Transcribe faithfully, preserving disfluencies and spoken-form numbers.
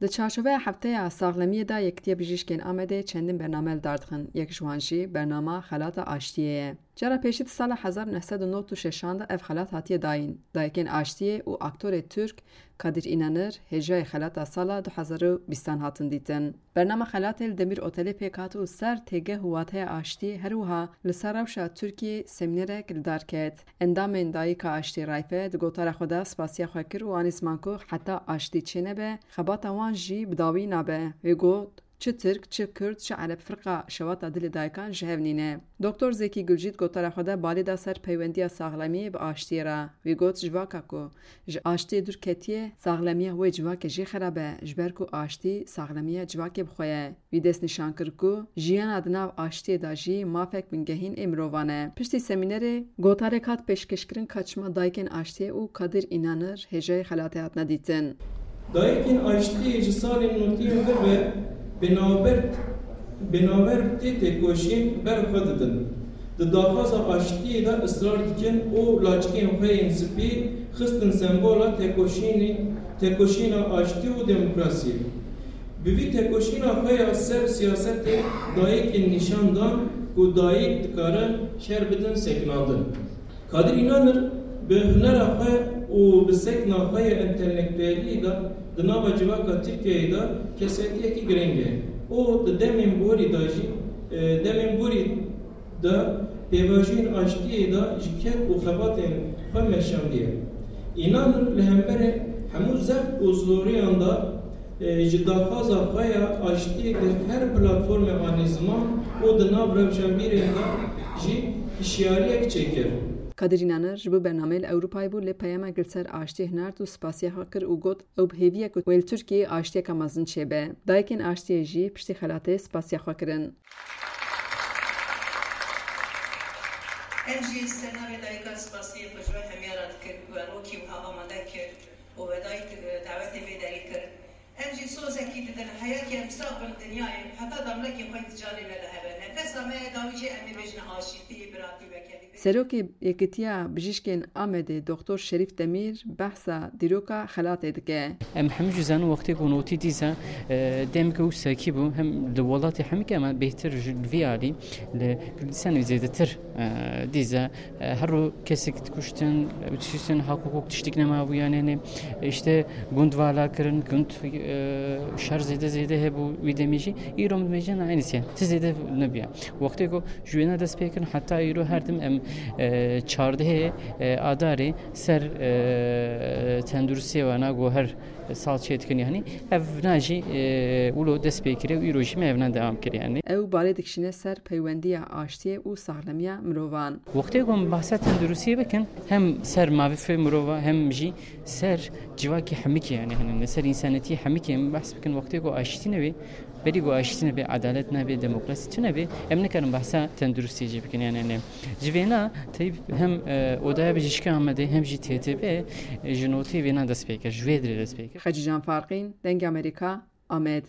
Di çarçoveya Hefteya Saxlemiyê de Yekitiya Bijîşkên Amedê çendin bername li dar dixin. Yek ji wan jî bernama Xelata Aştiyê ye. Cara pêşî di sala hezar neh sed û nod û şeşan de ev xelat hatiye dayîn. Dayikên Aştiyê û aktorê Tirk Kadir İnanır hêjayê xelata sala du hezar û bîstan hatin dîtin. Bernama xelatê li Demir Otelê pêk hat û ser têgeh û wateya aştiyê her wiha li ser rewşa Tirkiyê semînerek li dar ket. Endamên Dayika Aştî Rayfe di gotara xwe de spasiya xwe kir û anî ziman ku heta aştî çênebe, xebata wan jî bi dawî nabe. Wê got, çi Tirk, çi Kurd, çi Ereb firqa şewata dilê dayikan ji hev nîne. Doktor Zekî Gulcî di gotara xwe de balê da ser peywendiya saxlemiyê bi aştiyê re. Wî got, civaka ku ji aştiyê dûr ketiye, saxlemiya wê civakê jî xerab e, ji ber ku aştî saxlemiya civakê bi xwe ye. Wî destnîşan kir ku jiyana di nav aştiyê de jî mafek bingehîn ê mirovan e. Piştî semînerê gotarek hat pêşkêşkirin ka çima Dayikên Aştiyê û Kadir İnanır hêjayê xelatê hatine dîtin. Dayikên Aştiyê ji salên notî ve bi navber, bi navber tê têkoşîn ber xwe didin. Di daxwaza aştiyê de israr dikin û laçikên xwe yên spî xistin sembola têkoşînê, têkoşîna aştî û demokrasiyê. Bi vî têkoşîna xwe ya ser siyasetê dayikên nîşan dan ku dayik dikarin şer bidin sekinandin. Kadir İnanır bi hunera xwe û bi sekna xwe ya entelektuelî de di nava civaka Tirkiyeyê de kesayetiyekî girîng e. Û di demên borî de jî, e, demên borî de pêvajoyên aştiyê de ji ked û xebatên xwe meşandiye. Înan li hemberê hemû zext û zoriyan de, e, ji daxwaza xwe ya aştiyê di her platformê anî ziman û di nav rewşenbîrên de jî hişyariyek çêkir. Kadir İnanır ji bo bernameyê li Ewropayê bû, lê peyamek li ser aştiyê hinard û spasiya xwe kir û got, ew bi hêvî ye ku wê li Tirkiyeyê aştiyeke mezin çêbe. Dayikên aştiyê jî piştî xelatê spasiya xwe kirin. Em jî ser navê dayika spasiyê xwe ji we hemiya re dikin ku we rokî wiha amade kir û we dayik, e, dawetê vê derê kir. Em jî sozekî didin, heyekî em sax bin dinyayê, heta damlekê xwe di canê me de hebe. Nefesa me ye, dawî jî em ê bêjin aşîtî, biratî, wekelî. Serokê Yekitiya Bijîşkên Amedê Doktor Şerîf Demîr behsa dîroka xelatê dike. Em hemû jî zanin wextê ku notî dîsa, e, demeke wisa kî bû, hem li welatê hemikê, ama bêhtir ji vî alî li Kurdistanê zêdetir, e, dîsa, e, her roj kesek dikuştin, dikuştin, hak hukuk tiştik nema bû, yani, yani, işte, gund vala kirin, gund, e, şer zêde zêde hebû wî demê jî. Îro min dibêjin, aynı şey. Ti zêde nebiya. Wextê ku ji wêna dest pê kirin heta îro her tim em, e, çardehê, e, Adarê ser, e, tenduristiyê wana ku her sal çê dikin, yani ev na jî, e, wilo dest pê kiriye û îro jî me ev na dewam kiriye, yani. Ew balê dikişîne ser peywendiya aştiyê û saxlemiya mirovan. Wextê ku em behsa tenduristiyê bikin, hem ser mafê mirova hem jî ser civakê hemikê, yani, hani, ser însanetiyê hemikê em behs bikin, wextê ku aştî nebe, berî ku aştî nebe, edalet nebe, demokrasî tune be, em nikarin behsa tenduristiyê jî bikin. Yani, yani, ji vêna teyb hem, e, Odaya Bijîşkê Amedê hem jî T T B, e, ji notê vêna dest pê kir, ji vê dirê dest pê kir. Xecîcan Farqîn, Dengê Amerîka, Amed.